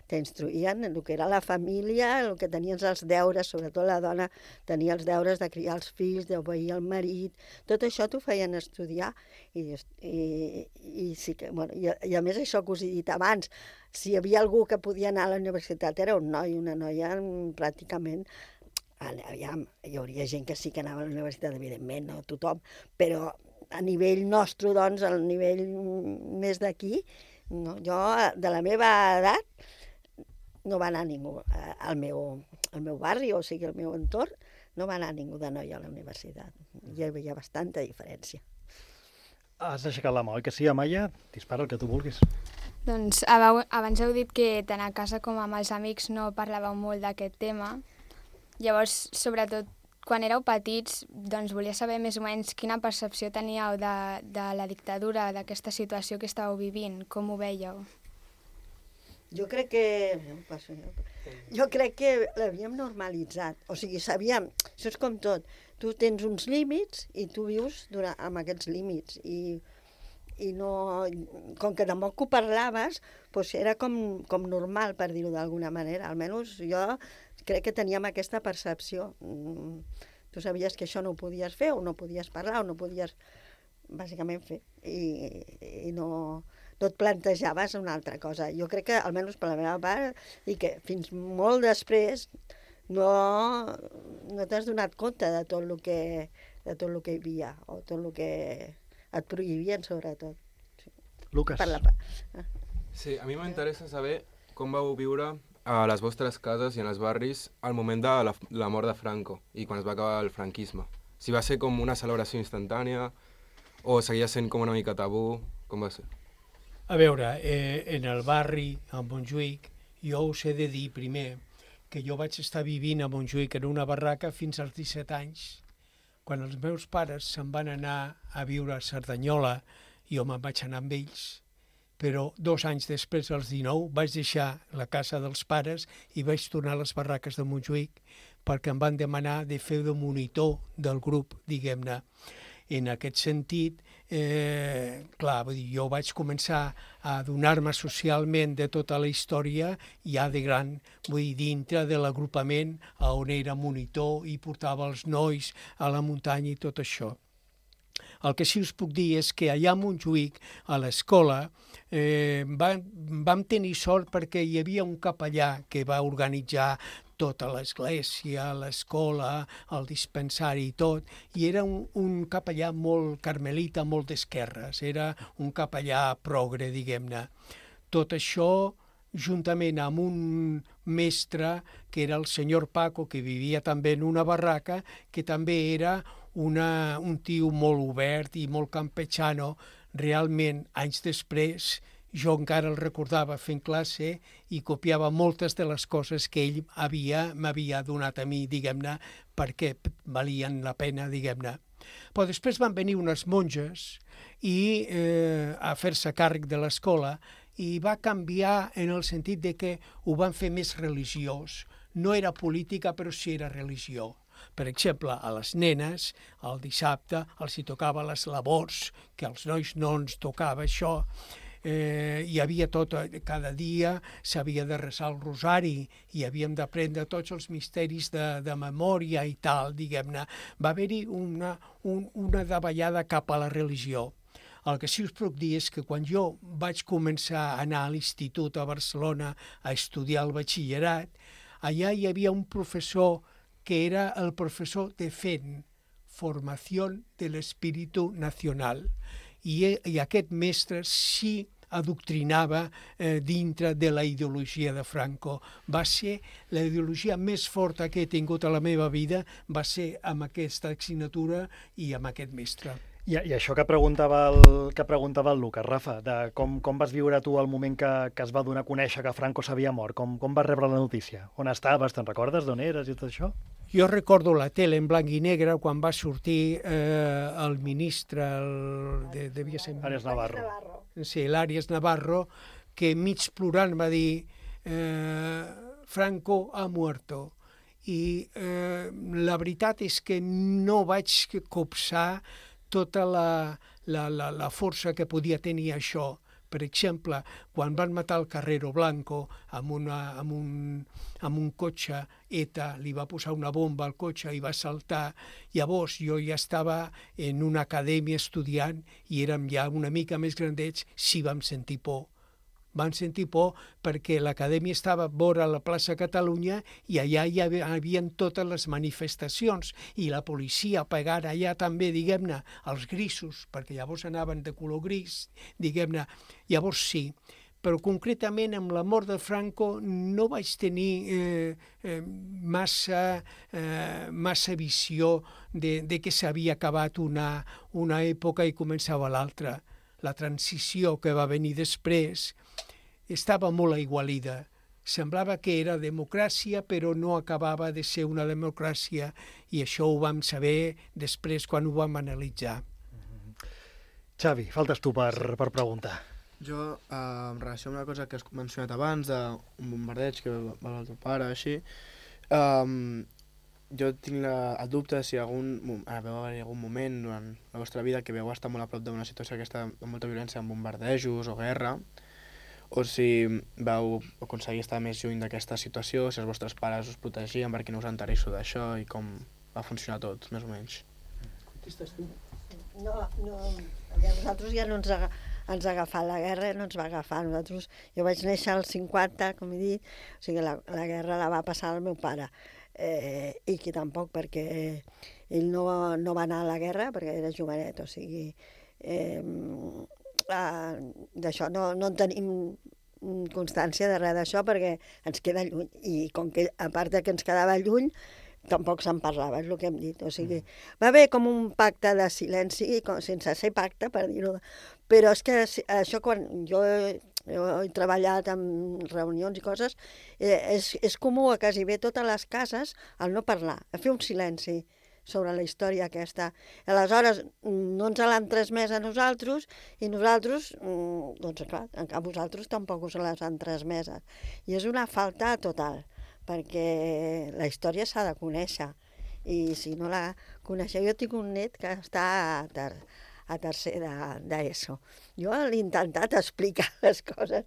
t'instruïen el que era la família, el que tenies els deures, sobretot la dona tenia els deures de criar els fills, d'obeir el marit, tot això t'ho feien estudiar i, i, i sí que, bueno, i, i a més això que us he dit abans, si hi havia algú que podia anar a la universitat era un noi, una noia pràcticament. Aviam, hi hauria gent que sí que anava a la universitat, evidentment, no tothom, però a nivell nostre, doncs, al nivell més d'aquí, no, jo, de la meva edat, no va anar ningú al meu, al meu barri, o sigui, al meu entorn, no va anar ningú de noi a la universitat. Hi havia bastanta diferència. Has aixecat la mà, oi que sí, Amaya? Dispara el que tu vulguis. Doncs abans heu dit que tant a casa com amb els amics no parlàveu molt d'aquest tema. Llavors, sobretot, quan éreu petits, doncs volia saber més o menys quina percepció teníeu de, de la dictadura, d'aquesta situació que estàveu vivint, com ho veieu? Jo crec que... Jo crec que l'havíem normalitzat. O sigui, sabíem... Això és com tot. Tu tens uns límits i tu vius durant, amb aquests límits. I, i no... Com que tampoc ho parlaves, doncs era com, com normal, per dir-ho d'alguna manera. Almenys jo... crec que teníem aquesta percepció. Tu sabies que això no ho podies fer, o no podies parlar, o no podies, bàsicament, fer. I, i no, no et plantejaves una altra cosa. Jo crec que, almenys per la meva part, i que fins molt després no, no t'has donat compte de tot el que, de tot el que hi havia, o tot el que et prohibien, sobretot. Lucas. Per la... Sí, a mi m'interessa saber com vau viure a les vostres cases i en els barris al moment de la, la mort de Franco i quan es va acabar el franquisme. Si va ser com una celebració instantània o seguia sent com una mica tabú, com va ser? A veure, eh, en el barri, a Montjuïc, jo us he de dir primer que jo vaig estar vivint a Montjuïc en una barraca fins als disset anys. Quan els meus pares se'n van anar a viure a Cerdanyola, jo me'n vaig anar amb ells, però dos anys després, als dinou, vaig deixar la casa dels pares i vaig tornar a les barraques de Montjuïc perquè em van demanar de fer de monitor del grup, diguem-ne. En aquest sentit, eh, clar, vull dir, jo vaig començar a adonar-me socialment de tota la història ja de gran, vull dir, dintre de l'agrupament on era monitor i portava els nois a la muntanya i tot això. El que sí us puc dir és que allà a Montjuïc, a l'escola, eh, vam, vam tenir sort perquè hi havia un capellà que va organitzar tota l'església, l'escola, el dispensari i tot, i era un, un capellà molt carmelita, molt d'esquerres, era un capellà progre, diguem-ne. Tot això, juntament amb un mestre, que era el senyor Paco, que vivia també en una barraca, que també era una, un tio molt obert i molt campechano. Realment, anys després, jo encara el recordava fent classe i copiava moltes de les coses que ell havia m'havia donat a mi, diguem-ne, perquè valien la pena, diguem-ne. Però després van venir unes monges i, eh, a fer-se càrrec de l'escola i va canviar en el sentit de que ho van fer més religiós. No era política, però sí era religió. Per exemple, a les nenes, el dissabte els hi tocava les labors, que als nois no ens tocava això. Eh, hi havia tot, cada dia s'havia de resar el rosari i havíem d'aprendre tots els misteris de, de memòria i tal, diguem-ne. Va haver-hi una, un, una davallada cap a la religió. El que sí us puc dir és que quan jo vaig començar a anar a l'institut a Barcelona a estudiar el batxillerat, allà hi havia un professor que era el professor de F E N, Formació de l'Espíritu Nacional. I, I aquest mestre sí adoctrinava eh, dintre de la ideologia de Franco. Va ser la ideologia més forta que he tingut a la meva vida, va ser amb aquesta assignatura i amb aquest mestre. I, I això que preguntava el, que preguntava el Lucas, Rafa, de com, com vas viure tu el moment que, que es va donar a conèixer que Franco s'havia mort? Com, com vas rebre la notícia? On estaves? Te'n recordes d'on eres i tot això? Jo recordo la tele en blanc i negre quan va sortir eh, el ministre, el, de, devia ser... Arias Navarro. Sí, l'Arias Navarro, que mig plorant va dir eh, Franco ha muerto. I eh, la veritat és que no vaig copsar tota la, la, la, la força que podia tenir això. Per exemple, quan van matar el Carrero Blanco amb, una, amb, un, amb un cotxe, ETA li va posar una bomba al cotxe i va saltar. Llavors jo ja estava en una acadèmia estudiant i érem ja una mica més grandets, sí vam sentir por. Van sentir por perquè l'acadèmia estava vora la plaça Catalunya i allà hi havia totes les manifestacions i la policia pegant allà també, diguem-ne, els grisos, perquè llavors anaven de color gris, diguem-ne. Llavors sí, però concretament amb la mort de Franco no vaig tenir eh, eh, massa, eh, massa visió de, de que s'havia acabat una, una època i començava l'altra. La transició que va venir després estava molt aigualida. Semblava que era democràcia, però no acabava de ser una democràcia, i això ho vam saber després quan ho vam analitzar. Xavi, faltes tu per, per preguntar. Jo, eh, en relació amb una cosa que has mencionat abans, d'un bombardeig que va va el teu pare, així, eh, jo tinc la, el dubte si algun, ah, veu haver algun moment durant la vostra vida que veu estar molt a prop d'una situació aquesta amb molta violència, amb bombardejos o guerra, o si vau aconseguir estar més lluny d'aquesta situació, si els vostres pares us protegien perquè no us entereixo d'això i com va funcionar tot, més o menys. No, no, a nosaltres ja no ens, aga, ens ha agafat la guerra, no ens va agafar. Nosaltres, jo vaig néixer als cinquanta, com he dit, o sigui, la, la guerra la va passar al meu pare, eh, i que tampoc perquè ell no, no va anar a la guerra perquè era jovenet, o sigui... Eh, Uh, d'això no, no en tenim constància de res d'això perquè ens queda lluny, i com que a part que ens quedava lluny tampoc se'n parlava, és el que hem dit, o sigui, va haver com un pacte de silenci, com, sense ser pacte, per dir-ho, però és que això quan jo, jo he treballat en reunions i coses, eh, és, és comú a quasi bé totes les cases el no parlar, a fer un silenci sobre la història aquesta. Aleshores, no ens l'han transmès a nosaltres i nosaltres, doncs clar, a vosaltres tampoc us les han transmeses. I és una falta total, perquè la història s'ha de conèixer. I si no la coneixeu, jo tinc un net que està a, ter a tercer d'ESO. Jo l'he intentat explicar les coses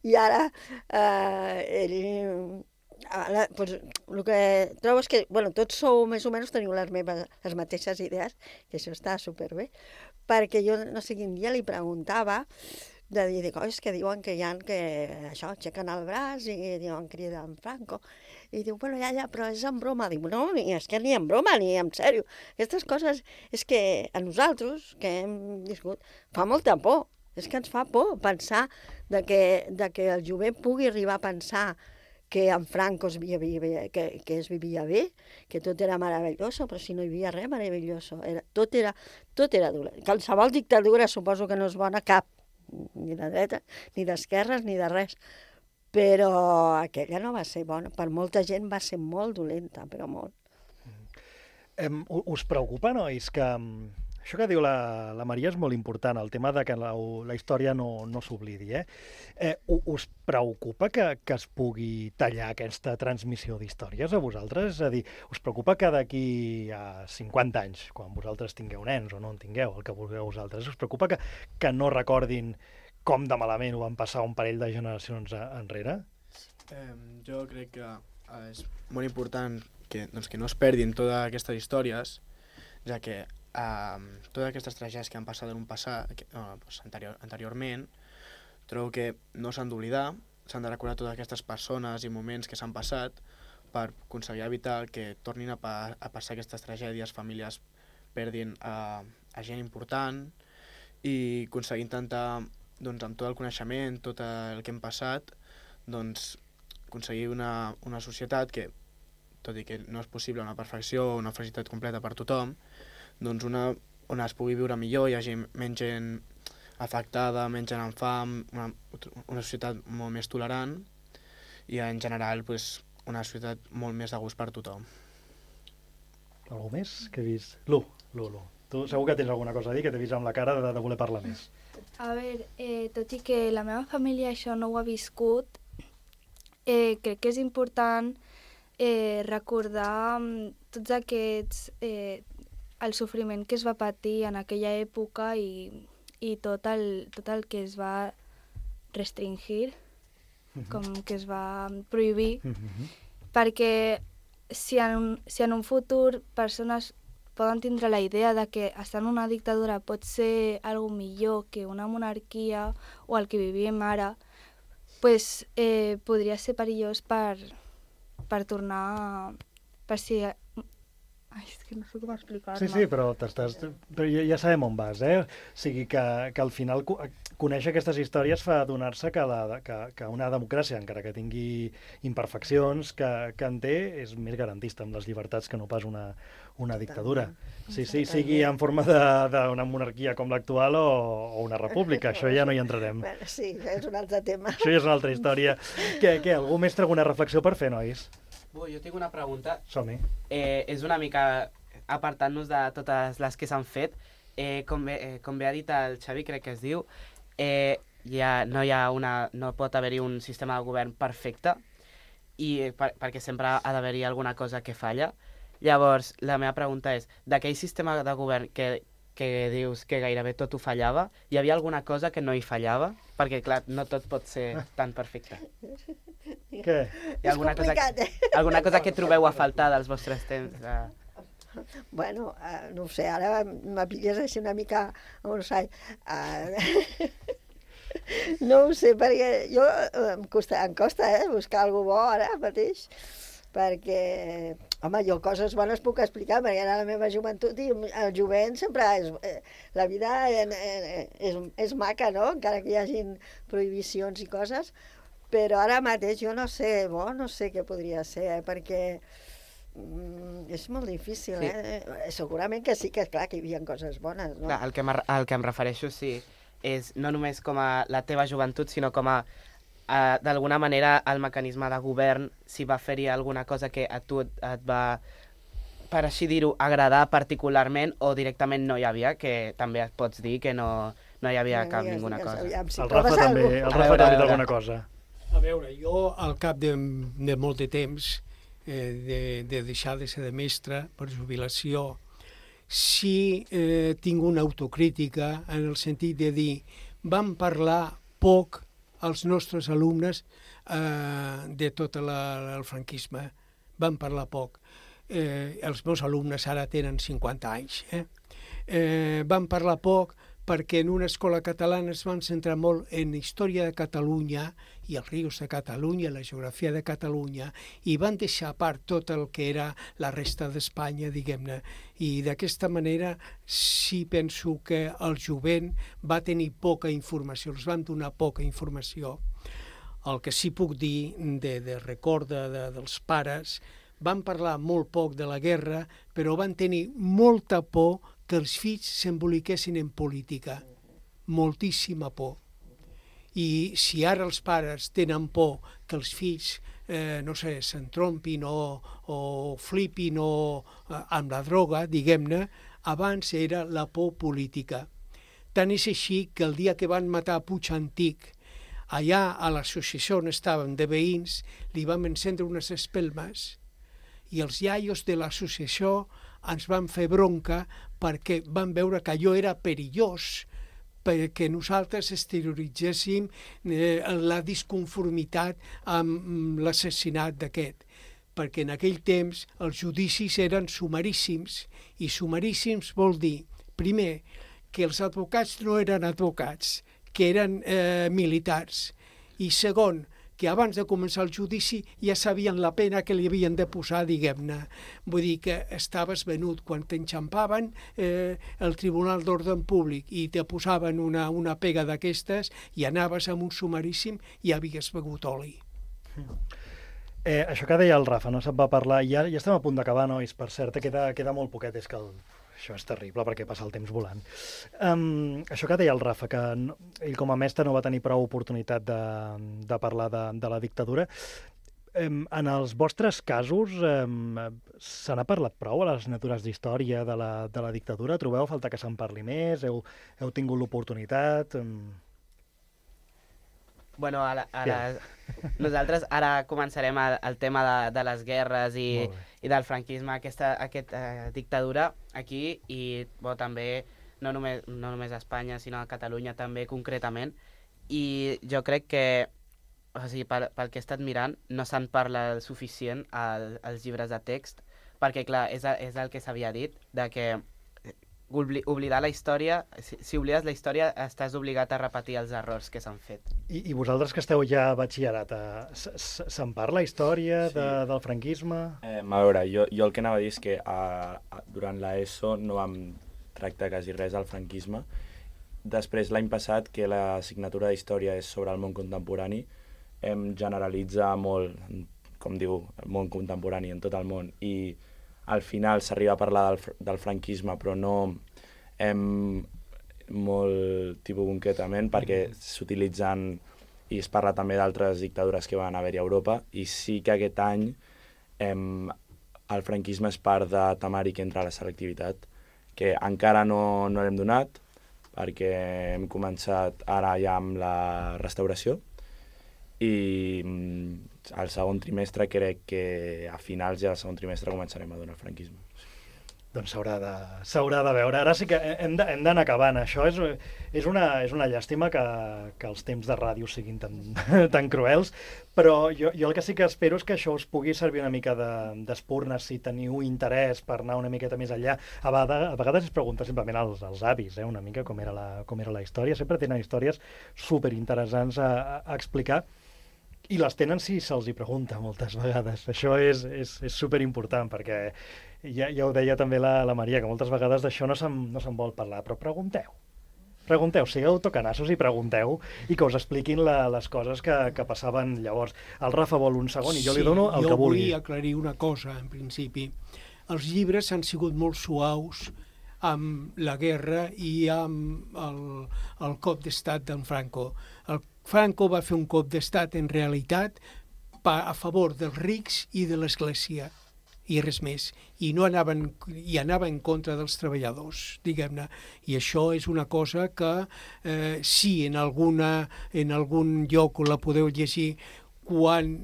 i ara eh, ell... Ara, pues, el que trobo és que bueno, tots sou més o menys teniu les, meves, les mateixes idees, que això està superbé, perquè jo no sé quin dia li preguntava de dir, dic, oh, és que diuen que hi ha que això, aixequen el braç i diuen criden Franco, i diu, bueno, ja, ja, però és en broma. Diu, no, ni, és que ni en broma, ni en sèrio. Aquestes coses és que a nosaltres, que hem viscut, fa molta por, és que ens fa por pensar de que, de que el jovent pugui arribar a pensar que en Franco es vivia bé, que, que es vivia bé, que tot era meravelloso, però si no hi havia res meravelloso. Era, tot, era, tot era dolent. Qualsevol dictadura suposo que no és bona cap, ni de dreta, ni d'esquerres, ni de res. Però aquella no va ser bona. Per molta gent va ser molt dolenta, però molt. Um, us preocupa, nois, que... Això que diu la, la Maria és molt important, el tema de que la, la història no, no s'oblidi. Eh? Eh, us preocupa que, que es pugui tallar aquesta transmissió d'històries a vosaltres? És a dir, us preocupa que d'aquí a cinquanta anys, quan vosaltres tingueu nens o no en tingueu, el que vulgueu vosaltres, us preocupa que, que no recordin com de malament ho van passar un parell de generacions enrere? Eh, jo crec que és molt important que, doncs, que no es perdin totes aquestes històries, ja que Uh, totes aquestes tragèdies que han passat en un passat, que, uh, pues, anterior, anteriorment, trobo que no s'han d'oblidar, s'han de recordar totes aquestes persones i moments que s'han passat per aconseguir evitar que tornin a, pa a passar aquestes tragèdies, famílies perdin uh, a gent important, i aconseguir intentar doncs, amb tot el coneixement, tot el que hem passat, doncs, aconseguir una, una societat que, tot i que no és possible una perfecció o una felicitat completa per tothom, doncs una on es pugui viure millor, hi hagi menys gent afectada, menys gent amb fam, una, una societat molt més tolerant i en general pues, una societat molt més de gust per tothom. Algú més que he vist? Lu, Lu, Lu. Tu segur que tens alguna cosa a dir, que t'he vist amb la cara de, de voler parlar més. A veure, eh, tot i que la meva família això no ho ha viscut, eh, crec que és important eh, recordar tots aquests... Eh, el sofriment que es va patir en aquella època i, i tot, el, tot el que es va restringir, uh-huh. com que es va prohibir, uh-huh. perquè si en, un, si en un futur persones poden tindre la idea de que estar en una dictadura pot ser algo millor que una monarquia o el que vivim ara, pues, eh, podria ser perillós per, per tornar... per si... Ai, és que no sé com explicar-me. Sí, sí, però, t'estàs... però ja, ja sabem on vas, eh? O sigui, que, que al final conèixer aquestes històries fa adonar-se que, la, que, que una democràcia, encara que tingui imperfeccions, que, que en té, és més garantista amb les llibertats que no pas una, una dictadura. Sí, sí, sigui en forma d'una monarquia com l'actual o, o una república, això ja no hi entrarem. Bueno, sí, és un altre tema. Això ja és una altra història. Què, què, algú més té alguna reflexió per fer, nois? Ui, jo tinc una pregunta. Som-hi. Eh, és una mica apartant-nos de totes les que s'han fet. Eh, com, bé, eh, com bé ha dit el Xavi, crec que es diu, eh, ja no, hi ha una, no pot haver-hi un sistema de govern perfecte i per, perquè sempre ha d'haver-hi alguna cosa que falla. Llavors, la meva pregunta és, d'aquell sistema de govern que, que dius que gairebé tot ho fallava, hi havia alguna cosa que no hi fallava? Perquè, clar, no tot pot ser tan perfecte. Què? Hi ha alguna cosa, eh? alguna cosa que trobeu a faltar dels vostres temps? Uh... Bueno, uh, no ho sé, ara m'apilles així una mica, no sé, uh, no ho sé, perquè jo em costa, em costa eh, buscar algú bo ara mateix, perquè, home, jo coses bones puc explicar, perquè era la meva joventut i el jovent sempre és... Eh, la vida és, és, és maca, no?, encara que hi hagin prohibicions i coses, però ara mateix jo no sé, bo, no sé què podria ser, eh, perquè mm, és molt difícil, sí. eh? Segurament que sí, que clar, que hi havia coses bones, no? Clar, el que, el que em refereixo, sí, és no només com a la teva joventut, sinó com a Uh, d'alguna manera el mecanisme de govern, si va fer-hi alguna cosa que a tu et, et va, per així dir-ho, agradar particularment o directament no hi havia, que també et pots dir que no, no hi havia no, cap digues, ninguna digues, cosa. Aviam, si el Rafa també, el Rafa també té alguna cosa. A veure, jo al cap de, de molt de temps, eh, de, de deixar de ser de mestre per jubilació, sí eh, tinc una autocrítica en el sentit de dir, vam parlar poc els nostres alumnes eh, de tot la, el franquisme. Van parlar poc. Eh, els meus alumnes ara tenen cinquanta anys. Eh? Eh, van parlar poc perquè en una escola catalana es van centrar molt en història de Catalunya i els rius de Catalunya, la geografia de Catalunya, i van deixar a part tot el que era la resta d'Espanya, diguem-ne. I d'aquesta manera sí penso que el jovent va tenir poca informació, els van donar poca informació. El que sí puc dir de, de record de, de, dels pares, van parlar molt poc de la guerra, però van tenir molta por que els fills s'emboliquessin en política. Moltíssima por. I si ara els pares tenen por que els fills, eh, no sé, s'entrompin o, o flipin o, eh, amb la droga, diguem-ne, abans era la por política. Tant és així que el dia que van matar Puig Antic, allà a l'associació on estaven de veïns, li vam encendre unes espelmes i els iaios de l'associació ens van fer bronca perquè van veure que allò era perillós, perquè nosaltres exterioritzéssim eh, la disconformitat amb l'assassinat d'aquest. Perquè en aquell temps els judicis eren sumaríssims, i sumaríssims vol dir, primer, que els advocats no eren advocats, que eren eh, militars, i segon, que abans de començar el judici ja sabien la pena que li havien de posar, diguem-ne. Vull dir que estaves venut quan t'enxampaven eh, el Tribunal d'Ordre Públic i te posaven una, una pega d'aquestes i anaves amb un sumaríssim i havies begut oli. Eh, això que deia el Rafa, no se'n va parlar, ja, ja estem a punt d'acabar, nois, per cert, queda, queda molt poquet, és que el... Això és terrible perquè passa el temps volant. Um, això que deia el Rafa, que no, ell com a mestre no va tenir prou oportunitat de, de parlar de, de la dictadura. Um, en els vostres casos, um, se n'ha parlat prou a les assignatures d'història de, la, de la dictadura? Trobeu a falta que se'n parli més? Heu, heu tingut l'oportunitat? Um... Bueno, ara, ara, nosaltres ara començarem el, el tema de, de les guerres i, i del franquisme, aquesta, aquesta uh, dictadura aquí, i bo, també no només, no només a Espanya, sinó a Catalunya també concretament. I jo crec que, o sigui, pel, pel que he estat mirant, no se'n parla suficient al, als llibres de text, perquè, clar, és, és el que s'havia dit, de que Obli oblidar la història, si, si oblides la història estàs obligat a repetir els errors que s'han fet. I, I vosaltres que esteu ja a batxillerat, se'n parla història sí. de, del franquisme? Eh, a veure, jo, jo el que anava a dir és que a, a, durant l'ESO no vam tractar quasi res del franquisme. Després, l'any passat, que l'assignatura d'història és sobre el món contemporani, hem generalitzat molt, com diu, el món contemporani en tot el món, i al final s'arriba a parlar del, del franquisme, però no hem molt tipus concretament, perquè s'utilitzen i es parla també d'altres dictadures que van haver-hi a Europa, i sí que aquest any hem, el franquisme és part de temari que entra a la selectivitat, que encara no, no l'hem donat, perquè hem començat ara ja amb la restauració, i al segon trimestre crec que a finals ja del segon trimestre començarem a donar el franquisme. Doncs s'haurà de, s'haurà de veure. Ara sí que hem d'anar acabant. Això és, és, una, és una llàstima que, que els temps de ràdio siguin tan, tan cruels, però jo, jo el que sí que espero és que això us pugui servir una mica d'espurna, si teniu interès per anar una miqueta més enllà. A vegades, a vegades es pregunta simplement als, als avis, eh, una mica com era, la, com era la història. Sempre tenen històries superinteressants a, a explicar, i les tenen si se'ls hi pregunta moltes vegades. Això és, és, és superimportant, perquè ja, ja ho deia també la, la Maria, que moltes vegades d'això no se'n no se'n vol parlar, però pregunteu. Pregunteu, sigueu tocanassos i pregunteu, i que us expliquin la, les coses que, que passaven llavors. El Rafa vol un segon i jo li dono el sí, que vulgui. Jo vull aclarir una cosa, en principi. Els llibres han sigut molt suaus amb la guerra i amb el, el cop d'estat d'en Franco. El Franco va fer un cop d'estat, en realitat, a favor dels rics i de l'Església, i res més. I no anaven, i anava en contra dels treballadors, diguem-ne. I això és una cosa que, eh, sí, en, alguna, en algun lloc la podeu llegir, quan,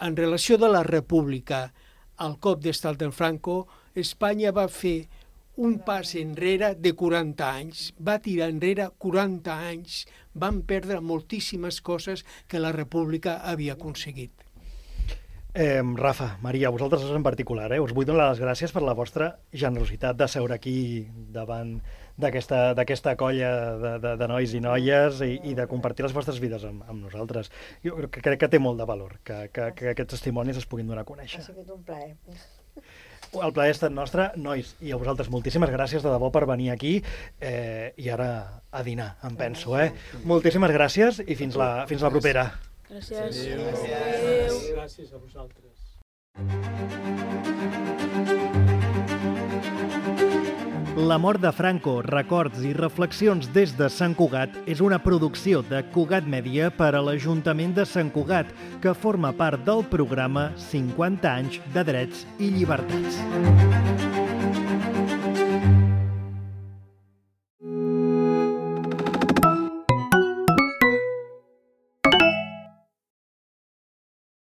en relació de la República, al cop d'estat d'en Franco, Espanya va fer un pas enrere de quaranta anys, va tirar enrere quaranta anys, van perdre moltíssimes coses que la República havia aconseguit. Eh, Rafa, Maria, vosaltres en particular, eh, us vull donar les gràcies per la vostra generositat de seure aquí davant d'aquesta colla de, de, de nois i noies i, i de compartir les vostres vides amb, amb nosaltres. Jo crec que té molt de valor que, que, que aquests testimonis es puguin donar a conèixer. Ha sigut un plaer. El plaer ha estat nostre, nois, i a vosaltres moltíssimes gràcies de debò per venir aquí, eh, i ara a dinar, em penso, eh? Moltíssimes gràcies i fins la, fins la propera. Gràcies. Adéu. Adéu. Gràcies a vosaltres. La mort de Franco, records i reflexions des de Sant Cugat és una producció de Cugat Mèdia per a l'Ajuntament de Sant Cugat, que forma part del programa cinquanta anys de drets i llibertats.